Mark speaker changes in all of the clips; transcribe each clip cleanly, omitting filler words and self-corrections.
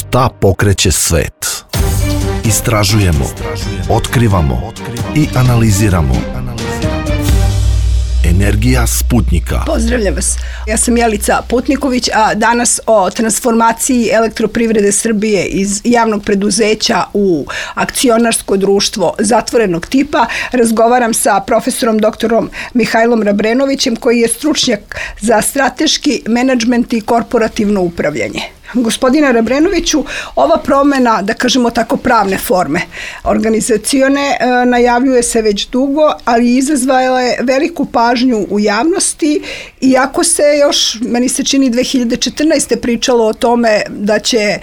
Speaker 1: Šta pokreće svet? Istražujemo, otkrivamo i analiziramo. Energija Sputnika.
Speaker 2: Pozdravljam vas. Ja sam Jelica Putniković, a danas o transformaciji Elektroprivrede Srbije iz javnog preduzeća u akcionarsko društvo zatvorenog tipa razgovaram sa profesorom doktorom Mihajlom Rabrenovićem, koji je stručnjak za strateški menadžment i korporativno upravljanje. Gospodine Rabrenoviću, ova promjena, da kažemo tako, pravne forme organizacione najavljuje se već dugo, ali izazvala je veliku pažnju u javnosti, iako se još, meni se čini, 2014. pričalo o tome da će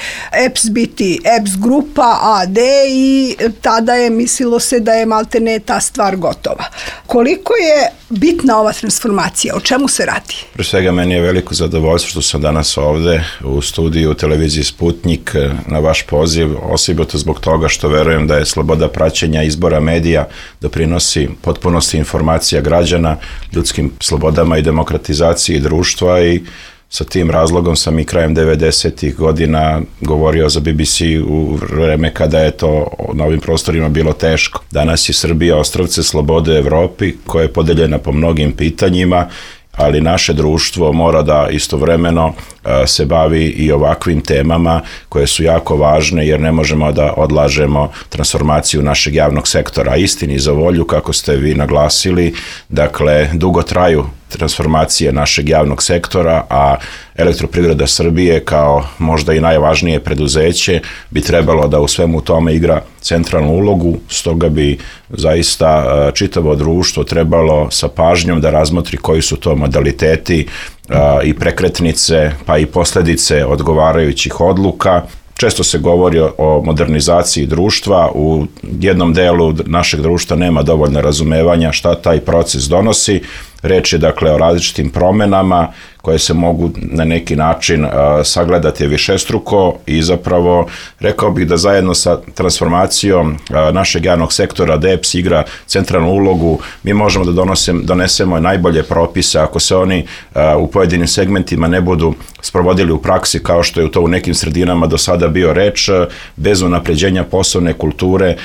Speaker 2: EPS biti EPS grupa AD i tada je mislilo se da je maltene ta stvar gotova. Koliko je bitna ova transformacija? O čemu se radi?
Speaker 3: Pre svega, meni je veliko zadovoljstvo što sam danas ovde u studiju televiziji Sputnik na vaš poziv, osobito zbog toga što verujem da je sloboda praćenja izbora medija doprinosi potpunosti informacija građana, ljudskim slobodama i demokratizaciji društva, i sa tim razlogom sam i krajem 90-ih godina govorio za BBC u vreme kada je to na ovim prostorima bilo teško. Danas je Srbija ostrvce slobode u Evropi, koja je podeljena po mnogim pitanjima, ali naše društvo mora da istovremeno se bavi i ovakvim temama koje su jako važne, jer ne možemo da odlažemo transformaciju našeg javnog sektora. Istini za volju, kako ste vi naglasili, dakle, dugo traju transformacije našeg javnog sektora, a Elektroprivreda Srbije kao možda i najvažnije preduzeće bi trebalo da u svemu tome igra centralnu ulogu, stoga bi zaista čitavo društvo trebalo sa pažnjom da razmotri koji su to modaliteti i prekretnice, pa i posljedice odgovarajućih odluka. Često se govori o modernizaciji društva, u jednom delu našeg društva nema dovoljno razumevanja šta taj proces donosi. Reč je dakle o različitim promenama koje se mogu na neki način sagledati višestruko, i zapravo rekao bih da zajedno sa transformacijom našeg javnog sektora EPS igra centralnu ulogu. Mi možemo da donesemo najbolje propise ako se oni u pojedinim segmentima ne budu sprovodili u praksi, kao što je to u nekim sredinama do sada bio reč, bez unapređenja poslovne kulture,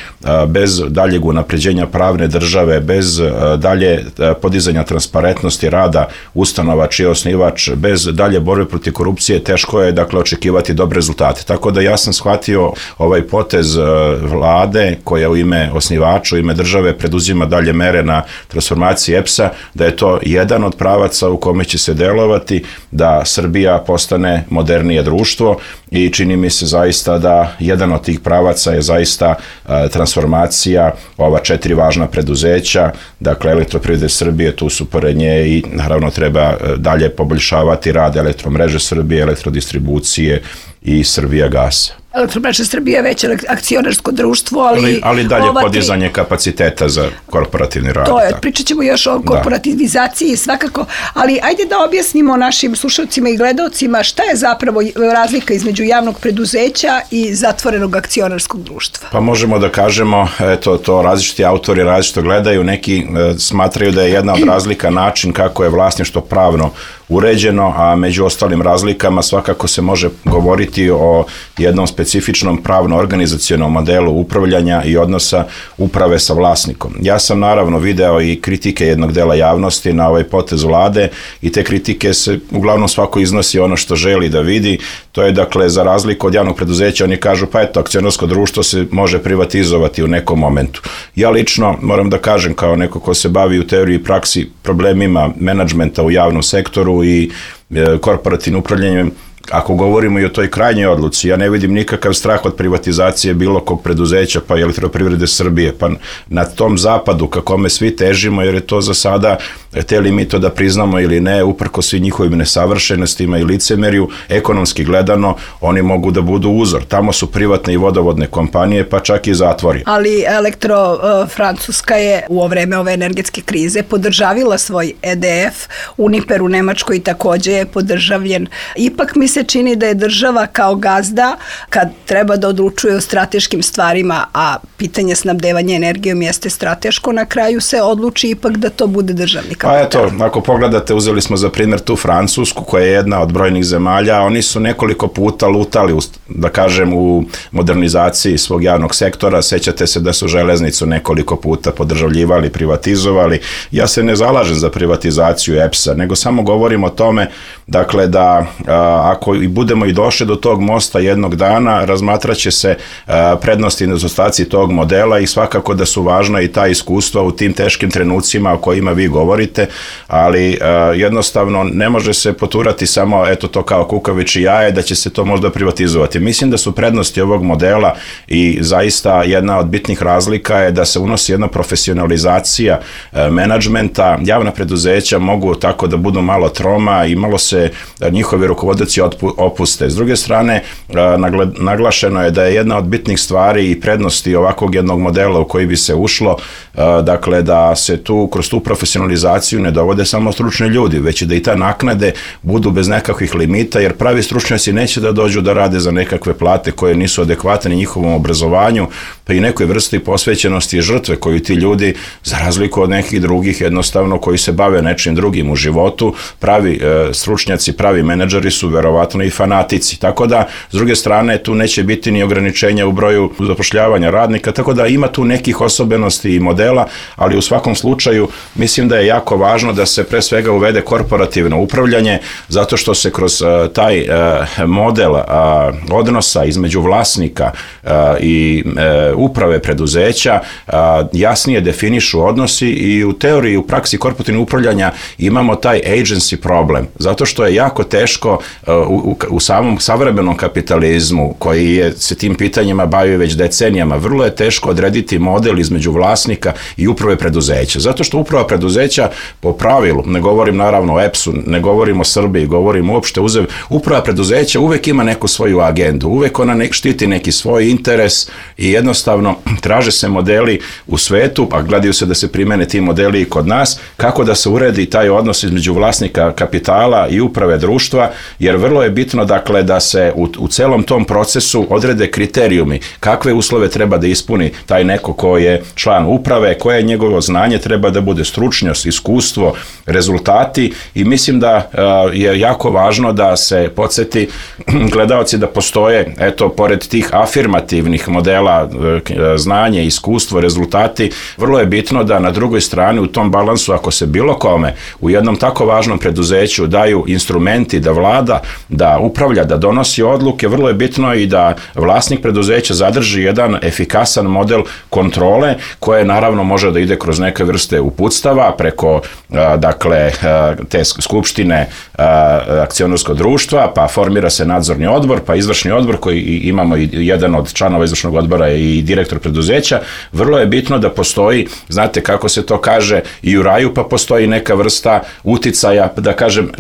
Speaker 3: bez daljeg unapređenja pravne države, bez dalje podizanja transparentnosti rada ustanova čiji je osnivač, bez dalje borbe protiv korupcije, teško je dakle očekivati dobre rezultate. Tako da ja sam shvatio ovaj potez vlade, koja u ime osnivača, u ime države preduzima dalje mere na transformaciji EPS-a, da je to jedan od pravaca u kome će se delovati da Srbija postane modernije društvo, i čini mi se zaista da jedan od tih pravaca je zaista transformacija ova 4 važna preduzeća, dakle Elektroprivrede Srbije, tu su pored nje i naravno treba dalje poboljšavati rad Elektromreže Srbije, Elektrodistribucije i Srbijagasa.
Speaker 2: Elektromreža Srbije je već akcionarsko društvo,
Speaker 3: ali dalje podizanje kapaciteta za korporativni rad.
Speaker 2: To je, pričat ćemo još o korporativizaciji svakako, ali ajde da objasnimo našim slušalcima i gledaocima šta je zapravo razlika između javnog preduzeća i zatvorenog akcionarskog društva.
Speaker 3: Pa možemo da kažemo, eto, to različiti autori različito gledaju, neki smatraju da je jedna od razlika način kako je vlasništvo pravno uređeno, a među ostalim razlikama svakako se može govoriti o jednom specifičnom pravno-organizacionom modelu upravljanja i odnosa uprave sa vlasnikom. Ja sam naravno video i kritike jednog dela javnosti na ovaj potez vlade, i te kritike se uglavnom svako iznosi ono što želi da vidi. To je dakle za razliku od javnog preduzeća, oni kažu pa eto, akcionarsko društvo se može privatizovati u nekom momentu. Ja lično moram da kažem, kao neko ko se bavi u teoriji i praksi problemima menadžmenta u javnom sektoru i korporativnim upravljanjem, ako govorimo i o toj krajnjoj odluci, ja ne vidim nikakav strah od privatizacije bilo kog preduzeća, pa i Elektroprivrede Srbije, pa na tom zapadu ka kome svi težimo, jer je to za sada, hteli mi to da priznamo ili ne, uprkos svim njihovim nesavršenostima i licemerju, ekonomski gledano, oni mogu da budu uzor. Tamo su privatne i vodovodne kompanije, pa čak i zatvori.
Speaker 2: Ali Francuska je u vreme ove energetske krize podržavila svoj EDF, Uniper u Nemačkoj takođe je podržavljen. Ipak mi se se čini da je država kao gazda, kad treba da odlučuje o strateškim stvarima, a pitanje snabdevanja energijom jeste strateško, na kraju se odluči ipak da to bude državni kapital.
Speaker 3: Pa eto, ako pogledate, uzeli smo za primjer tu Francusku, koja je jedna od brojnih zemalja, oni su nekoliko puta lutali, da kažem, u modernizaciji svog javnog sektora. Sećate se da su železnicu nekoliko puta podržavljivali, privatizovali. Ja se ne zalažem za privatizaciju EPS-a, nego samo govorim o tome, dakle, da ako i budemo i došli do tog mosta jednog dana, razmatraće se prednosti i nedostaci tog modela i svakako da su važna i ta iskustva u tim teškim trenucima o kojima vi govorite, ali jednostavno ne može se poturati samo eto to kao kukavičje jaje da će se to možda privatizovati. Mislim da su prednosti ovog modela i zaista jedna od bitnih razlika je da se unosi jedna profesionalizacija menadžmenta. Javna preduzeća mogu tako da budu malo troma i malo se njihovi rukovodioci opuste. S druge strane, naglašeno je da je jedna od bitnih stvari i prednosti ovakvog jednog modela u koji bi se ušlo, dakle da se tu kroz tu profesionalizaciju ne dovode samo stručni ljudi, već i da i ta naknade budu bez nekakvih limita, jer pravi stručnjaci neće da dođu da rade za nekakve plate koje nisu adekvatne njihovom obrazovanju, pa i nekoj vrsti posvećenosti i žrtve koju ti ljudi, za razliku od nekih drugih jednostavno koji se bave nečim drugim u životu, pravi stručnjaci, pravi menadžeri su verovatno i fanatici. Tako da, s druge strane, tu neće biti ni ograničenja u broju zapošljavanja radnika, tako da ima tu nekih osobenosti i modela, ali u svakom slučaju mislim da je jako važno da se pre svega uvede korporativno upravljanje, zato što se kroz taj model odnosa između vlasnika i uprave preduzeća jasnije definišu odnosi i u teoriji, u praksi korporativnog upravljanja imamo taj agency problem, zato što je jako teško u samom savremenom kapitalizmu koji se tim pitanjima bavi već decenijama, vrlo je teško odrediti model između vlasnika i uprave preduzeća, zato što uprava preduzeća po pravilu, ne govorim naravno o EPS-u, ne govorim o Srbiji, govorim uopšte uprava preduzeća uvek ima neku svoju agendu, uvek ona štiti neki svoj interes i jednostavno traže se modeli u svetu, a gledaju se da se primene ti modeli i kod nas, kako da se uredi taj odnos između vlasnika kapitala i uprave društva, jer vrlo je bitno dakle da se u celom tom procesu odrede kriterijumi, kakve uslove treba da ispuni taj neko ko je član uprave, koje je njegovo znanje, treba da bude stručnost, iskustvo, rezultati i mislim da je jako važno da se podsjeti gledaoci da postoje, eto, pored tih afirmativnih modela znanje, iskustvo, rezultati, vrlo je bitno da na drugoj strani u tom balansu, ako se bilo kome u jednom tako važnom preduzeću daju instrumenti da vlada, da upravlja, da donosi odluke, vrlo je bitno i da vlasnik preduzeća zadrži jedan efikasan model kontrole koje naravno može da ide kroz neke vrste uputstava preko dakle te skupštine akcionarskog društva, pa formira se nadzorni odbor, pa izvršni odbor koji imamo i jedan od članova izvršnog odbora i direktor preduzeća. Vrlo je bitno da postoji, znate kako se to kaže i u raju, pa postoji neka vrsta uticaja, da kažem,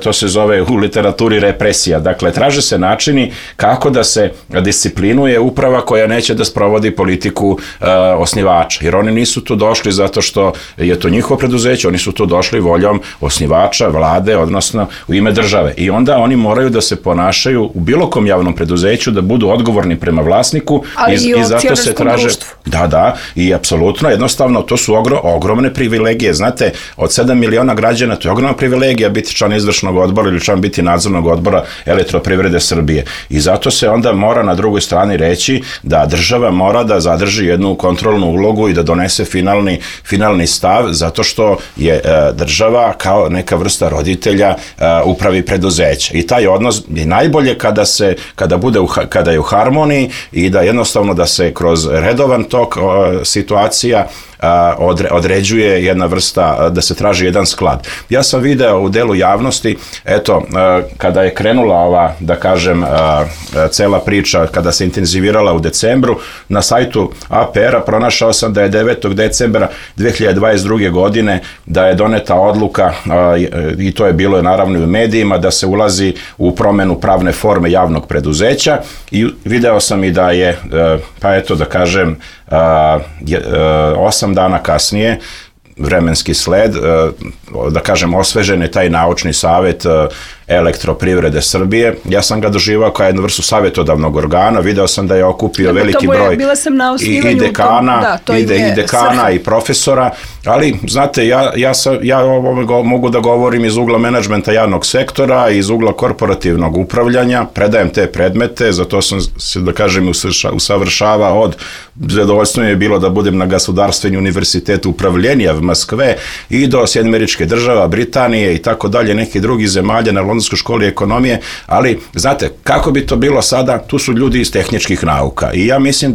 Speaker 3: to se zove u literaturi represija. Dakle, traže se načini kako da se disciplinuje uprava koja neće da sprovodi politiku osnivača, jer oni nisu tu došli zato što je to njihovo preduzeće, oni su tu došli voljom osnivača, vlade, odnosno u ime države. I onda oni moraju da se ponašaju u bilo kom javnom preduzeću, da budu odgovorni prema vlasniku.
Speaker 2: Ali i zato se traže društvu.
Speaker 3: Da, i apsolutno, jednostavno, to su ogromne privilegije. Znate, od 7 miliona građana, to je ogromna privilegija biti član izvršnog odbora ili član biti nadzornog odbora Elektroprivrede Srbije. I zato se onda mora na drugoj strani reći da država mora da zadrži jednu kontrolnu ulogu i da donese finalni stav, zato što je država kao neka vrsta roditelja upravi preduzeća. I taj odnos je najbolje kada je u harmoniji i da jednostavno da se kroz redovan tok situacija određuje jedna vrsta, da se traži jedan sklad. Ja sam video u delu javnosti, eto, kada je krenula ova, da kažem, cela priča, kada se intenzivirala u decembru, na sajtu APR-a pronašao sam da je 9. decembra 2022. godine da je doneta odluka, i to je bilo naravno i u medijima, da se ulazi u promenu pravne forme javnog preduzeća i video sam i da je, pa eto da kažem, 8 dana kasnije vremenski sled, da kažem, osvežen je taj naučni savjet Elektroprivrede Srbije. Ja sam ga doživao kao jednu vrstu savjetodavnog organa, video sam da je okupio veliki broj i dekana i profesora, ali znate, ja mogu da govorim iz ugla menadžmenta javnog sektora, iz ugla korporativnog upravljanja, predajem te predmete, zato sam se, da kažem, usavršavao od zadovoljstvo mi je bilo da budem na Gasudarstveni univerzitet upravljenja v Moskve i do Sjedinjenih Američkih Država, Britanije i tako dalje, nekih drugih zemalja na Londonskoj školi ekonomije, ali znate, kako bi to bilo sada, tu su ljudi iz tehničkih nauka i ja mislim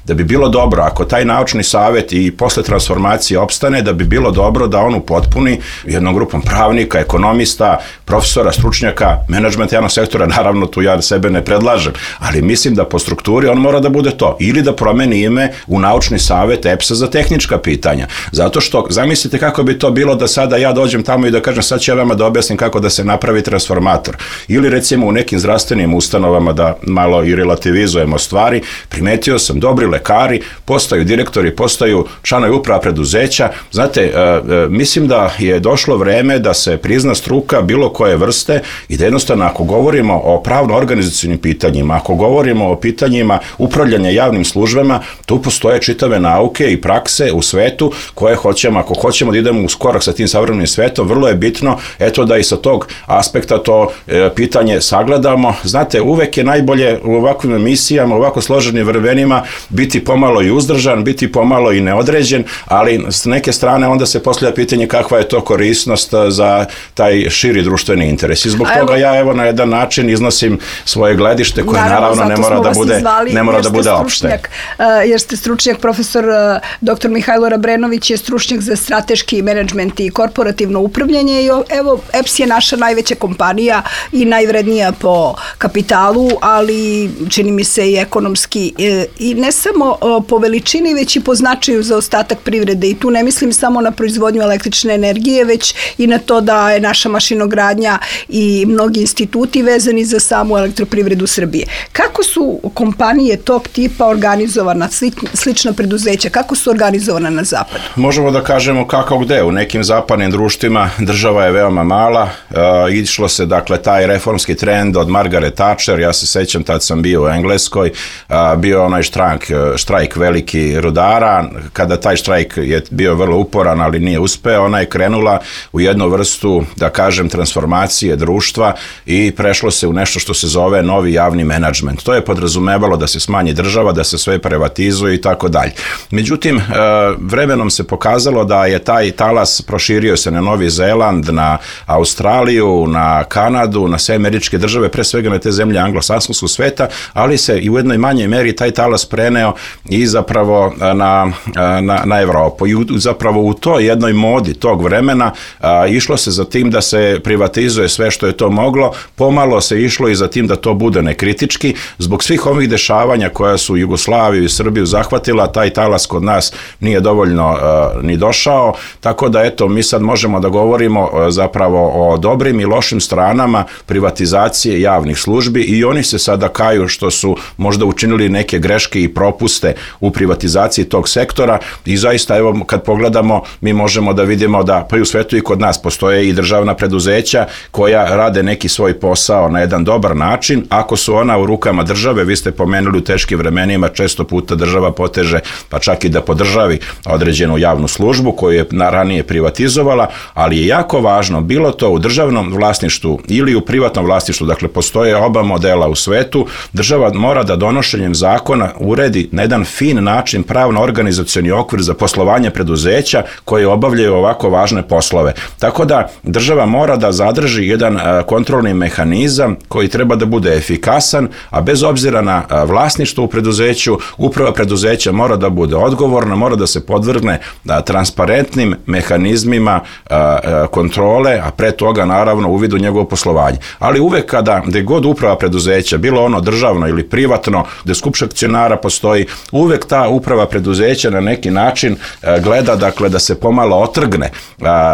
Speaker 3: da bi bilo dobro, ako taj naučni savjet i posle transformacije opstane, da bi bilo dobro da on upotpuni jednom grupom pravnika, ekonomista, profesora, stručnjaka, menadžmenta javnog sektora, naravno tu ja sebe ne predlažem, ali mislim da po strukturi on mora da bude to, ili da promeni ime u naučni savjet EPS-a za tehnička pitanja, zato što zamislite kako bi to bilo da sada ja dođem tamo i da kažem sad ću ja vama da objasnim kako da se napravi transformator, ili recimo u nekim zdravstvenim ustanovama da malo i relativizujemo stvari, primetio sam dobri lekari, postaju direktori, postaju članovi uprava preduzeća, znate, mislim da je došlo vreme da se prizna struka bilo koje vrste i da jednostavno ako govorimo o pravno-organizacijnim pitanjima, ako govorimo o pitanjima upravljanja javnim službama, tu postoje čitave nauke i prakse u svetu koje hoćemo, ako hoćemo da idemo u korak sa tim savremenim svetom, vrlo je bitno, eto da i sa tog aspekta to pitanje sagledamo. Znate, uvek je najbolje u ovakvim emisijama, u ovako složenim vremenima biti pomalo i uzdržan, biti pomalo i neodređen, ali s neke strane onda se postavlja pitanje kakva je to korisnost za taj širi društveni interes. I zbog toga ja evo na jedan način iznosim svoje gledište koje naravno ne mora da bude opšte.
Speaker 2: Jer ste stručnjak, profesor dr. Mihajlo Rabrenović je stručnjak za strateški menadžment i korporativno upravljanje i evo EPS je naša najveća kompanija i najvrednija po kapitalu, ali čini mi se i ekonomski i ne samo po veličini, već i po značaju za ostatak privrede i tu ne mislim samo na proizvodnju električne energije, već i na to da je naša mašinogradnja i mnogi instituti vezani za samu elektroprivredu Srbije. Kako su kompanije tog tipa organizovana, slična preduzeća, kako su organizovana na zapadu?
Speaker 3: Možemo da kažemo kako gde. U nekim zapadnim društvima država je veoma mala, išlo se, dakle, taj reformski trend od Margaret Thatcher, ja se sećam, tad sam bio u Engleskoj, bio onaj štrajk veliki rudara, kada taj štrajk je bio vrlo uporan, ali nije uspeo, ona je krenula u jednu vrstu, da kažem, transformacije društva i prešlo se u nešto što se zove novi javni menadžment. To je podrazumevalo da se smanji država, da se sve privatizuje i tako dalje. Međutim, vremenom se pokazalo da je taj talas proširio se na Novi Zeland, na Australiju, na Kanadu, na sve američke države, pre svega na te zemlje anglosaksonskog sveta, ali se i u jednoj manjoj meri taj talas preneo i zapravo na Evropu. I zapravo u toj jednoj modi tog vremena išlo se za tim da se privatizuje sve što je to moglo, pomalo se išlo i za tim da to bude nekritički. Zbog svih ovih dešavanja koja su Jugoslaviju i Srbiju zahvatila, taj talas kod nas nije dovoljno ni došao, tako da eto, mi sad možemo da govorimo zapravo o dobrim i lošim stranama privatizacije javnih službi i oni se sada kaju što su možda učinili neke greške i propuste u privatizaciji tog sektora i zaista evo kad pogledamo mi možemo da vidimo da pa i u svetu i kod nas postoje i državna preduzeća koja rade neki svoj posao na jedan dobar način, ako su ona u rukama države, vi ste pomenuli u teškim vremenima, često puta država poteže pa čak i da podržavi određenu javnu službu koju je ranije privatizovala, ali je jako važno, bilo to u državnom vlasništvu ili u privatnom vlasništvu, dakle postoje oba modela u svetu, država mora da donošenjem zakona uredi na jedan fin način pravno-organizacioni okvir za poslovanje preduzeća koje obavljaju ovako važne poslove. Tako da država mora da zadrži jedan kontrolni mehanizam koji treba da bude efikasan, a bez obzira na vlasništvo u preduzeću, uprava preduzeća mora da bude odgovorna, mora da se podvrgne transparentnim mehanizmima kontrole, a pre toga naravno uvid u njegovo poslovanje. Ali uvek gde god uprava preduzeća, bilo ono državno ili privatno, gde skup akcionara postoji, uvek ta uprava preduzeća na neki način gleda, dakle, da se pomalo otrgne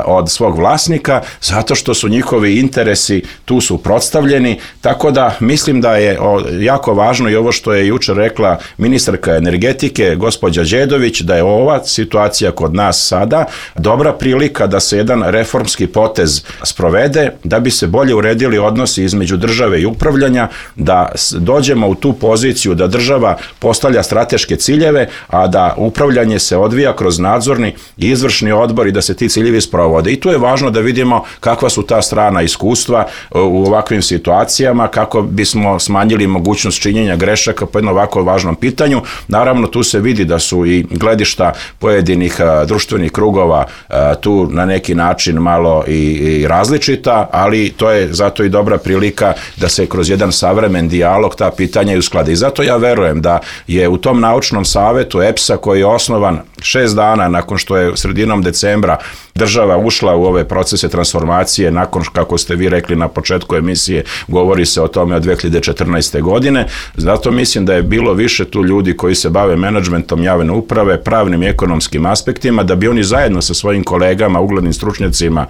Speaker 3: od svog vlasnika, zato što su njihovi interesi tu suprotstavljeni, tako da mislim da je jako važno i ovo što je jučer rekla ministarka energetike, gospođa Đedović, da je ova situacija kod nas sada dobra prilika da se jedan reformski potez sprovede da bi se bolje uredili odnosi između države i upravljanja, da dođemo u tu poziciju da država postavlja strateške ciljeve, a da upravljanje se odvija kroz nadzorni i izvršni odbor i da se ti ciljevi sprovode. I tu je važno da vidimo kakva su ta strana iskustva u ovakvim situacijama, kako bismo smanjili mogućnost činjenja grešaka po jednom ovako važnom pitanju. Naravno, tu se vidi da su i gledišta pojedinih društvenih krugova tu na neki način malo i različita, ali to je zato i dobra prilika da se kroz jedan savremen dijalog ta pitanja i usklade. I zato ja verujem da je u tom naučnom savetu EPS-a, koji je osnovan 6 dana nakon što je sredinom decembra država ušla u ove procese transformacije, nakon kako ste vi rekli na početku emisije, govori se o tome od 2014. godine, zato mislim da je bilo više tu ljudi koji se bave menadžmentom javne uprave, pravnim i ekonomskim aspektima, da bi oni zajedno sa svojim kolegama, uglednim stručnjacima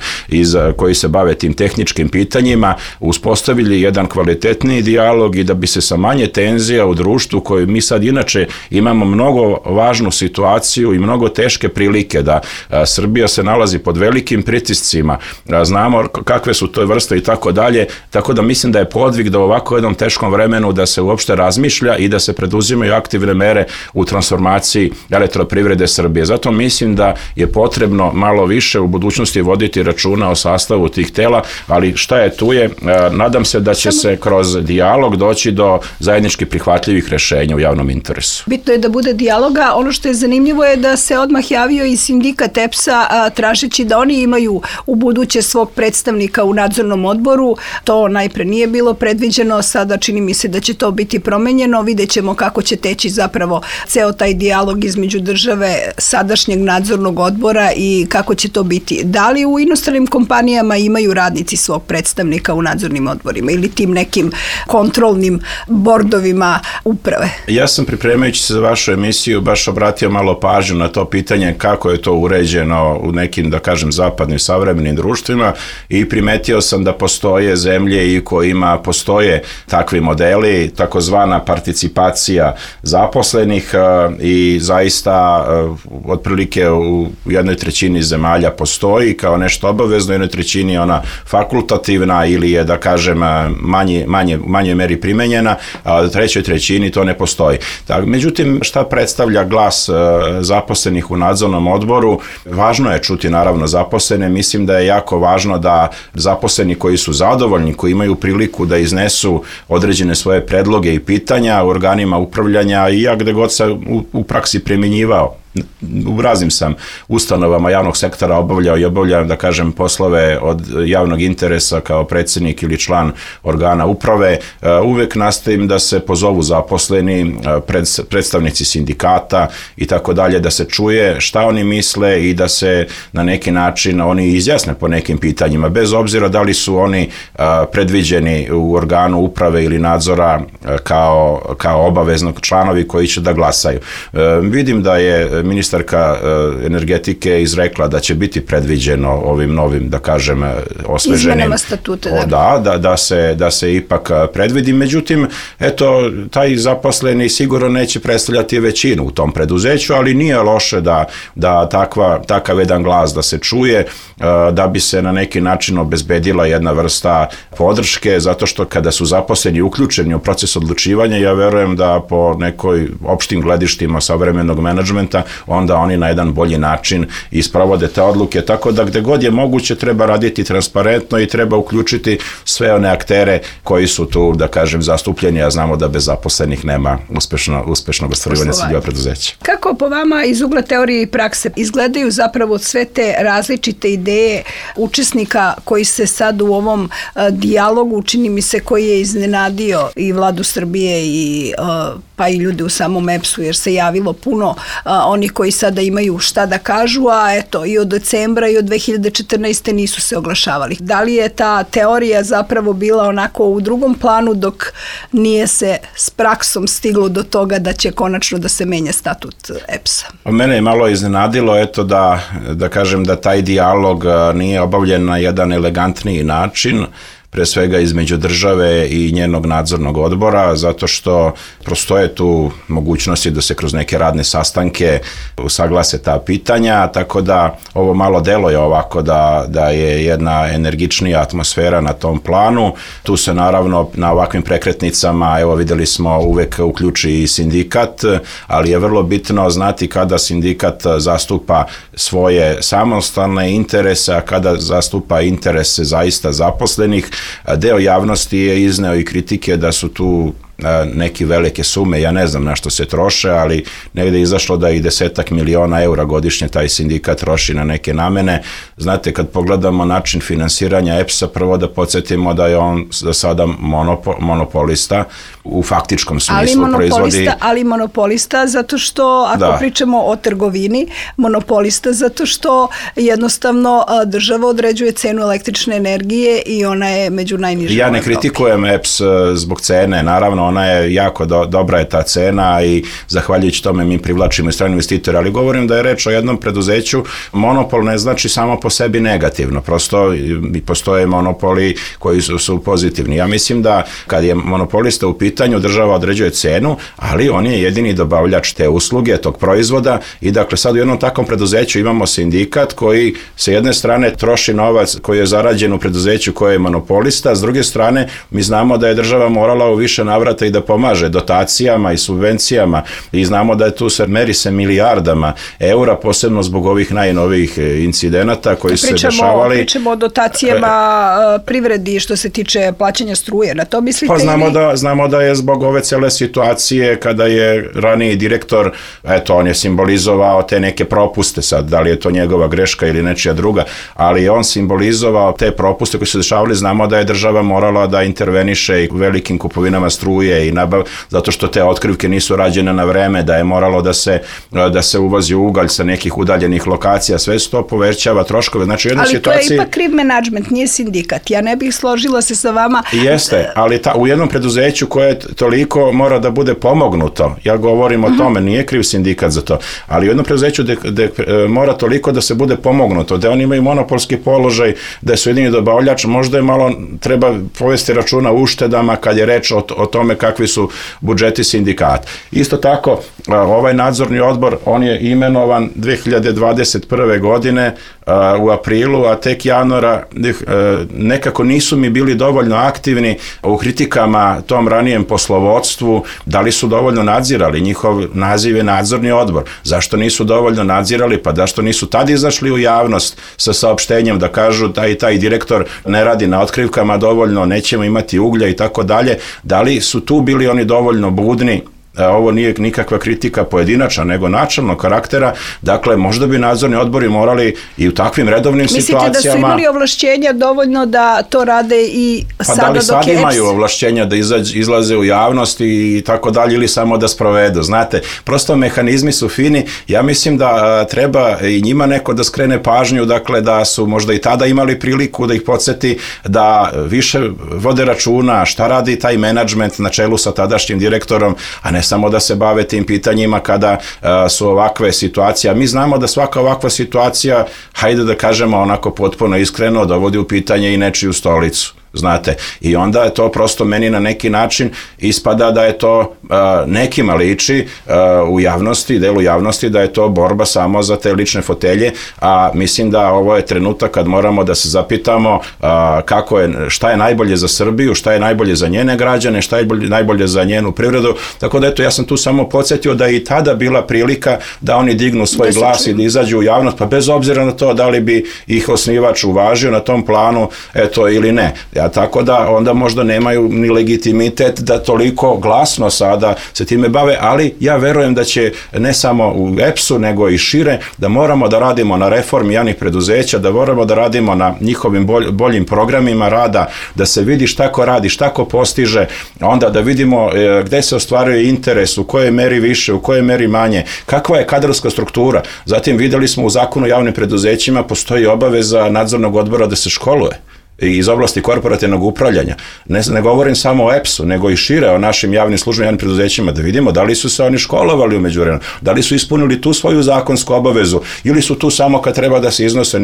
Speaker 3: koji se bave tim tehničkim pitanjima, uspostavili jedan kvalitetniji dijalog i da bi se sa manje tenzija u društvu, koji mi sad inače imamo mnogo važnu situaciju i mnogo teške prilike, da Srbija se nalazi pod velikim pritiscima, znamo kakve su to vrste i tako dalje, tako da mislim da je podvig da u ovako jednom teškom vremenu da se uopšte razmišlja i da se preduzimaju aktivne mere u transformaciji elektroprivrede Srbije. Zato mislim da je potrebno malo više u budućnosti voditi računa o sastavu tih tela, ali šta je tu je, nadam se da će se kroz dijalog doći do zajednički prihvatljivih rešenja u javnom interesu.
Speaker 2: Bitno je da bude dijaloga. Ono što je zanimljivo je da se odmah javio i sindikat EPS-a tražeći da oni imaju u buduće svog predstavnika u nadzornom odboru. To najpre nije bilo predviđeno, sada čini mi se da će to biti promenjeno. Vidjet ćemo kako će teći zapravo ceo taj dijalog između države, sadašnjeg nadzornog odbora i kako će to biti. Da li u inostranim kompanijama imaju radnici svog predstavnika u nadzornim odborima ili tim nekim kontrolnim bordovima uprave?
Speaker 3: Ja sam, pripremajući se za vašu emisiju, baš obratio malo pažnju na to pitanje kako je to uređeno u nekim, da kažem, zapadnim savremenim društvima, i primetio sam da postoje zemlje i kojima postoje takvi modeli, takozvana participacija zaposlenih, i zaista otprilike u 1/3 zemalja postoji kao nešto obavezno, 1/3 ona fakultativna ili je, da kažem, manje meri primenjena, a u 3/3 to ne postoji. Međutim, šta predstavlja glas zaposlenih u nadzornom odboru? Važno je čuti naravno zaposlene. Mislim da je jako važno da zaposleni koji su zadovoljni, koji imaju priliku da iznesu određene svoje predloge i pitanja u organima upravljanja, i ja gde god sam u praksi primjenjivao, u raznim sam ustanovama javnog sektora obavljam, da kažem, poslove od javnog interesa kao predsjednik ili član organa uprave, uvek nastavim da se pozovu zaposleni, predstavnici sindikata i tako dalje, da se čuje šta oni misle i da se na neki način oni izjasne po nekim pitanjima, bez obzira da li su oni predviđeni u organu uprave ili nadzora kao obaveznog članovi koji će da glasaju. Vidim da je ministarka energetike izrekla da će biti predviđeno ovim novim, da kažem, osveženim
Speaker 2: izmenama statuta,
Speaker 3: da se ipak predvidi. Međutim, eto, taj zaposleni sigurno neće predstavljati većinu u tom preduzeću, ali nije loše da takav jedan glas da se čuje, da bi se na neki način obezbedila jedna vrsta podrške, zato što kada su zaposleni uključeni u proces odlučivanja, ja verujem da po nekoj opštim gledištima savremenog menadžmenta, onda oni na jedan bolji način isprovode te odluke, tako da gde god je moguće treba raditi transparentno i treba uključiti sve one aktere koji su tu, da kažem, zastupljeni, a znamo da bez zaposlenih nema uspešnog ostvarivanja ciljeva preduzeća.
Speaker 2: Kako po vama iz ugla teorije i prakse izgledaju zapravo sve te različite ideje učesnika koji se sad u ovom dijalogu, čini mi se, koji je iznenadio i Vladu Srbije i pa i ljude u samom EPS-u, jer se javilo puno onih koji sada imaju šta da kažu, a eto, i od decembra i od 2014. nisu se oglašavali. Da li je ta teorija zapravo bila onako u drugom planu, dok nije se s praksom stiglo do toga da će konačno da se menja statut EPS-a?
Speaker 3: Mene je malo iznenadilo, eto, da kažem da taj dijalog nije obavljen na jedan elegantniji način. pre svega između države i njenog nadzornog odbora, zato što prostoje tu mogućnosti da se kroz neke radne sastanke usaglase ta pitanja, tako da ovo malo deluje ovako da je jedna energičnija atmosfera na tom planu. Tu se naravno na ovakvim prekretnicama, evo videli smo, uvek uključi i sindikat, ali je vrlo bitno znati kada sindikat zastupa svoje samostalne interese, a kada zastupa interese zaista zaposlenih. Deo javnosti je izneo i kritike da su tu neke velike sume, ja ne znam na što se troše, ali negde je izašlo da i 10 miliona eura godišnje taj sindikat troši na neke namene. Znate, kad pogledamo način finansiranja EPS-a, prvo da podsjetimo da je on za sada monopolista u faktičkom smislu proizvodi.
Speaker 2: Ali monopolista zato što, ako pričamo o trgovini, monopolista zato što jednostavno država određuje cenu električne energije i ona je među najnižim.
Speaker 3: Ja ne kritikujem EPS zbog cene, naravno ona je jako dobra je ta cena i zahvaljujući tome mi privlačimo i strane investitore, ali govorim da je reč o jednom preduzeću. Monopol ne znači samo po sebi negativno, prosto postoje monopoli koji su pozitivni. Ja mislim da kad je monopolista u pitanju, država određuje cenu, ali on je jedini dobavljač te usluge, tog proizvoda i dakle sad u jednom takvom preduzeću imamo sindikat koji sa jedne strane troši novac koji je zarađen u preduzeću koje je monopolista, a s druge strane mi znamo da je država morala u više navrata i da pomaže dotacijama i subvencijama i znamo da je tu meri se milijardama eura, posebno zbog ovih najnovijih incidenata koji su se dešavali.
Speaker 2: Pričamo o dotacijama privredi što se tiče plaćanja struje, na to mislite?
Speaker 3: Pa znamo da je zbog ove cele situacije kada je raniji direktor, eto on je simbolizovao te neke propuste, sad da li je to njegova greška ili nečija druga, ali on simbolizovao te propuste koji su dešavali, znamo da je država morala da interveniše i u velikim kupovinama struje i zato što te otkrivke nisu rađene na vreme, da je moralo da se uvozi ugalj sa nekih udaljenih lokacija, sve se to povećava troškove. Znači, u jednoj situaciji...
Speaker 2: to je ipak kriv menadžment, nije sindikat. Ja ne bih složila se sa vama.
Speaker 3: Jeste, ali u jednom preduzeću koje toliko mora da bude pomognuto, ja govorim o tome, nije kriv sindikat za to, ali u jednom preduzeću gde mora toliko da se bude pomognuto, da oni imaju monopolski položaj, da su jedini dobavljač, možda je malo treba povesti računa o uštedama kad je reč o tome kakvi su budžeti sindikata. Isto tako, ovaj nadzorni odbor, on je imenovan 2021. godine u aprilu, a tek januara nekako nisu mi bili dovoljno aktivni u kritikama tom ranijem poslovodstvu, da li su dovoljno nadzirali, njihov naziv je nadzorni odbor. Zašto nisu dovoljno nadzirali? Pa zašto nisu tad izašli u javnost sa saopštenjem da kažu da i taj direktor ne radi na otkrivkama dovoljno, nećemo imati uglja i tako dalje. Da li su tu bili oni dovoljno budni? Ovo nije nikakva kritika pojedinačna, nego načelnog karaktera. Dakle, možda bi nadzorni odbori morali i u takvim redovnim situacijama...
Speaker 2: Mislite da su imali ovlašćenja dovoljno da to rade i sada dok je EPS?
Speaker 3: Pa da li sad imaju ovlašćenja da izlaze u javnost i tako dalje ili samo da sprovedu? Znate, prosto mehanizmi su fini. Ja mislim da treba i njima neko da skrene pažnju, dakle da su možda i tada imali priliku da ih podsjeti da više vode računa šta radi taj menadžment na čelu sa tadašnjim direktorom, a ne samo da se bave tim pitanjima kada su ovakve situacije. Mi znamo da svaka ovakva situacija, hajde da kažemo onako potpuno iskreno, dovodi u pitanje i nečiju stolicu. Znate, i onda je to prosto meni na neki način ispada da je to nekima liči u javnosti, delu javnosti, da je to borba samo za te lične fotelje, a mislim da ovo je trenutak kad moramo da se zapitamo šta je najbolje za Srbiju, šta je najbolje za njene građane, šta je najbolje za njenu privredu, tako da eto, ja sam tu samo podsjetio da je i tada bila prilika da oni dignu svoj glas i da izađu u javnost, pa bez obzira na to da li bi ih osnivač uvažio na tom planu, eto, ili ne. Tako da onda možda nemaju ni legitimitet da toliko glasno sada se time bave, ali ja verujem da će ne samo u EPS-u nego i šire, da moramo da radimo na reformi javnih preduzeća, da moramo da radimo na njihovim boljim programima rada, da se vidi šta ko radi, šta ko postiže, onda da vidimo gde se ostvaruje interes, u kojoj meri više, u kojoj meri manje, kakva je kadrovska struktura. Zatim videli smo u zakonu o javnim preduzećima postoji obaveza nadzornog odbora da se školuje. iz oblasti korporativnog upravljanja. Ne govorim samo o EPS-u, nego i šire o našim javnim službama, javnim preduzećima, da vidimo da li su se oni školovali u međuvremenu, da li su ispunili tu svoju zakonsku obavezu ili su tu samo kad treba da se iznose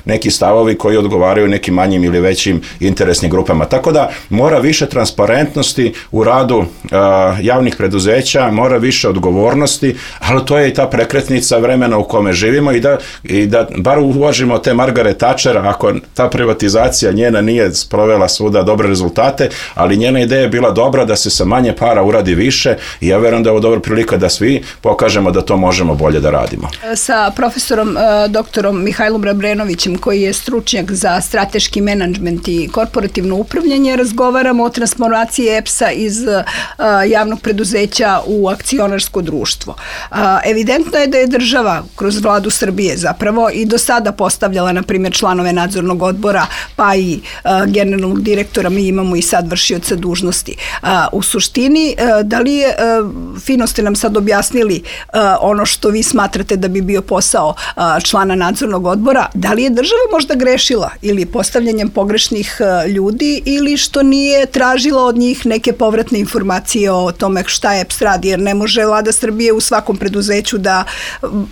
Speaker 3: neki stavovi koji odgovaraju nekim manjim ili većim interesnim grupama. Tako da mora više transparentnosti u radu javnih preduzeća, mora više odgovornosti, ali to je i ta prekretnica vremena u kome živimo i da bar uvažimo te Margaret Thatcher, ako ta privatizacija njena nije sprovela svuda dobre rezultate, ali njena ideja je bila dobra da se sa manje para uradi više i ja verujem da je ovo dobra prilika da svi pokažemo da to možemo bolje da radimo.
Speaker 2: Sa profesorom doktorom Mihajlom Rabrenovićem, koji je stručnjak za strateški menadžment i korporativno upravljanje, razgovaramo o transformaciji EPS-a iz javnog preduzeća u akcionarsko društvo. Evidentno je da je država kroz vladu Srbije zapravo i do sada postavljala, na primjer, članove nadzornog odbora, pa i generalnog direktora, mi imamo i sad vršioca dužnosti. U suštini, da li je, fino ste nam sad objasnili ono što vi smatrate da bi bio posao člana nadzornog odbora, da li je država možda grešila ili postavljanjem pogrešnih ljudi ili što nije tražila od njih neke povratne informacije o tome šta EPS radi, jer ne može vlada Srbije u svakom preduzeću da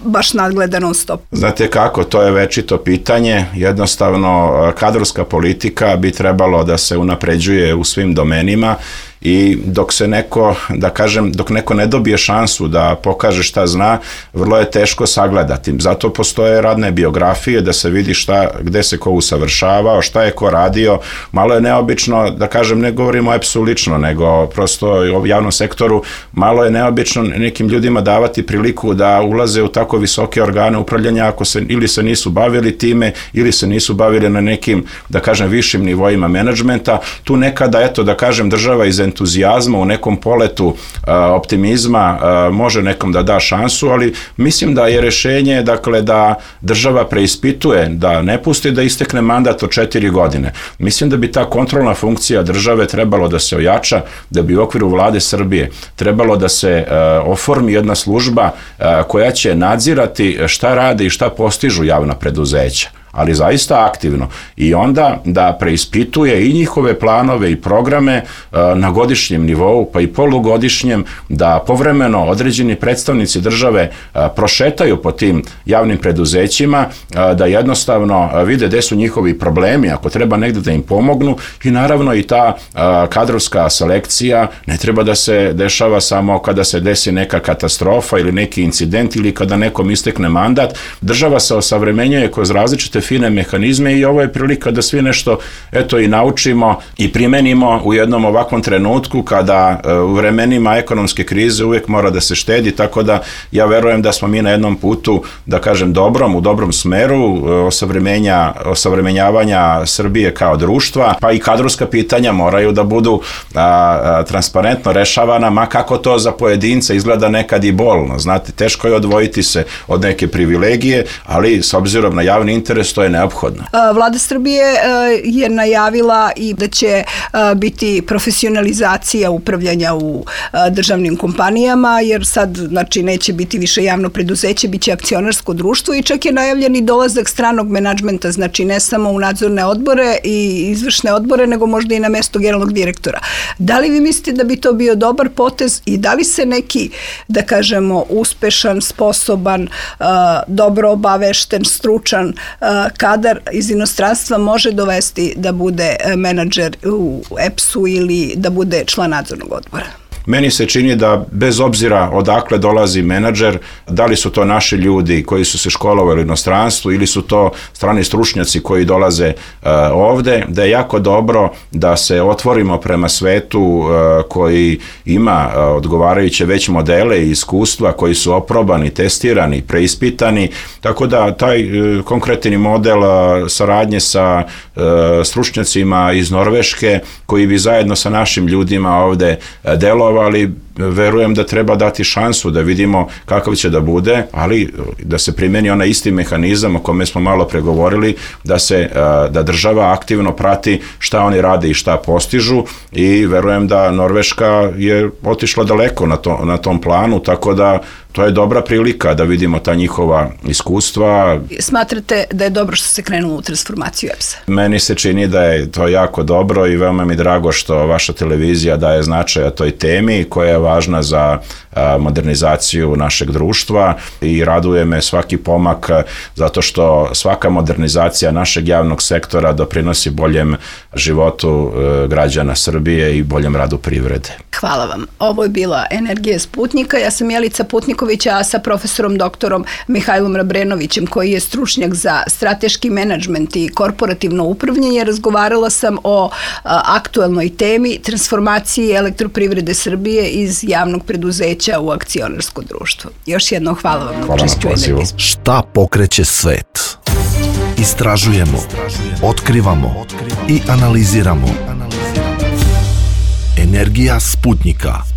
Speaker 2: baš nadgleda non stop.
Speaker 3: Znate kako, to je večito pitanje, jednostavno kadrovska politika bi trebalo da se unapređuje u svim domenima i dok neko ne dobije šansu da pokaže šta zna, vrlo je teško sagledati. Zato postoje radne biografije da se vidi gde se ko usavršavao, šta je ko radio. Malo je neobično, ne govorimo o EPS-u lično, nego prosto o javnom sektoru, malo je neobično nekim ljudima davati priliku da ulaze u tako visoke organe upravljanja ako se ili se nisu bavili time ili se nisu bavili na nekim, višim nivoima menadžmenta. Tu nekada, država iz entuzijazma, u nekom poletu optimizma može nekom da da šansu, ali mislim da je rešenje da država preispituje, da ne pusti da istekne mandat od 4 godine. Mislim da bi ta kontrolna funkcija države trebalo da se ojača, da bi u okviru vlade Srbije trebalo da se oformi jedna služba koja će nadzirati šta rade i šta postižu javna preduzeća, ali zaista aktivno, i onda da preispituje i njihove planove i programe na godišnjem nivou, pa i polugodišnjem, da povremeno određeni predstavnici države prošetaju po tim javnim preduzećima, da jednostavno vide gde su njihovi problemi, ako treba negde da im pomognu, i naravno i ta kadrovska selekcija ne treba da se dešava samo kada se desi neka katastrofa ili neki incident ili kada nekom istekne mandat. Država se osavremenjuje kroz različite fine mehanizme i ovo je prilika da svi nešto i naučimo i primenimo u jednom ovakvom trenutku kada u vremenima ekonomske krize uvijek mora da se štedi, tako da ja verujem da smo mi na jednom putu, u dobrom smeru osavremenjavanja Srbije kao društva, pa i kadrovska pitanja moraju da budu transparentno rešavana, ma kako to za pojedinca izgleda nekad i bolno. Znate, teško je odvojiti se od neke privilegije, ali s obzirom na javni interes to je neophodno.
Speaker 2: Vlada Srbije je najavila i da će biti profesionalizacija upravljanja u državnim kompanijama, jer sad neće biti više javno preduzeće, bit će akcionarsko društvo, i čak je najavljen i dolazak stranog menadžmenta, ne samo u nadzorne odbore i izvršne odbore, nego možda i na mesto generalnog direktora. Da li vi mislite da bi to bio dobar potez i da li se neki, uspešan, sposoban, dobro obavešten, stručan kadar iz inostranstva može dovesti da bude menadžer u EPS-u ili da bude član nadzornog odbora?
Speaker 3: Meni se čini da bez obzira odakle dolazi menadžer, da li su to naši ljudi koji su se školovali u inostranstvu ili su to strani stručnjaci koji dolaze ovde, da je jako dobro da se otvorimo prema svetu koji ima odgovarajuće već modele i iskustva koji su oprobani, testirani, preispitani, tako da taj konkretni model saradnje sa stručnjacima iz Norveške koji bi zajedno sa našim ljudima ovde delovali, verujem da treba dati šansu da vidimo kakav će da bude, ali da se primeni onaj isti mehanizam o kome smo malo pregovorili, da država aktivno prati šta oni rade i šta postižu, i verujem da Norveška je otišla daleko na tom planu, tako da to je dobra prilika da vidimo ta njihova iskustva.
Speaker 2: Smatrate da je dobro što se krenulo u transformaciju EPS-a?
Speaker 3: Meni se čini da je to jako dobro i veoma mi drago što vaša televizija daje značaja toj temi koja je važna za modernizaciju našeg društva, i raduje me svaki pomak, zato što svaka modernizacija našeg javnog sektora doprinosi boljem životu građana Srbije i boljem radu privrede.
Speaker 2: Hvala vam. Ovo je bila Energija Sputnika. Ja sam Jelica Putniković, a sa profesorom doktorom Mihajlom Rabrenovićem, koji je stručnjak za strateški menadžment i korporativno upravljanje, razgovarala sam o aktuelnoj temi transformaciji Elektroprivrede Srbije iz javnog preduzeća u akcionarsko društvo. Još jedno hvala vam na učešću.
Speaker 1: Šta pokreće svet? Istražujemo, otkrivamo i analiziramo. Energija Sputnika.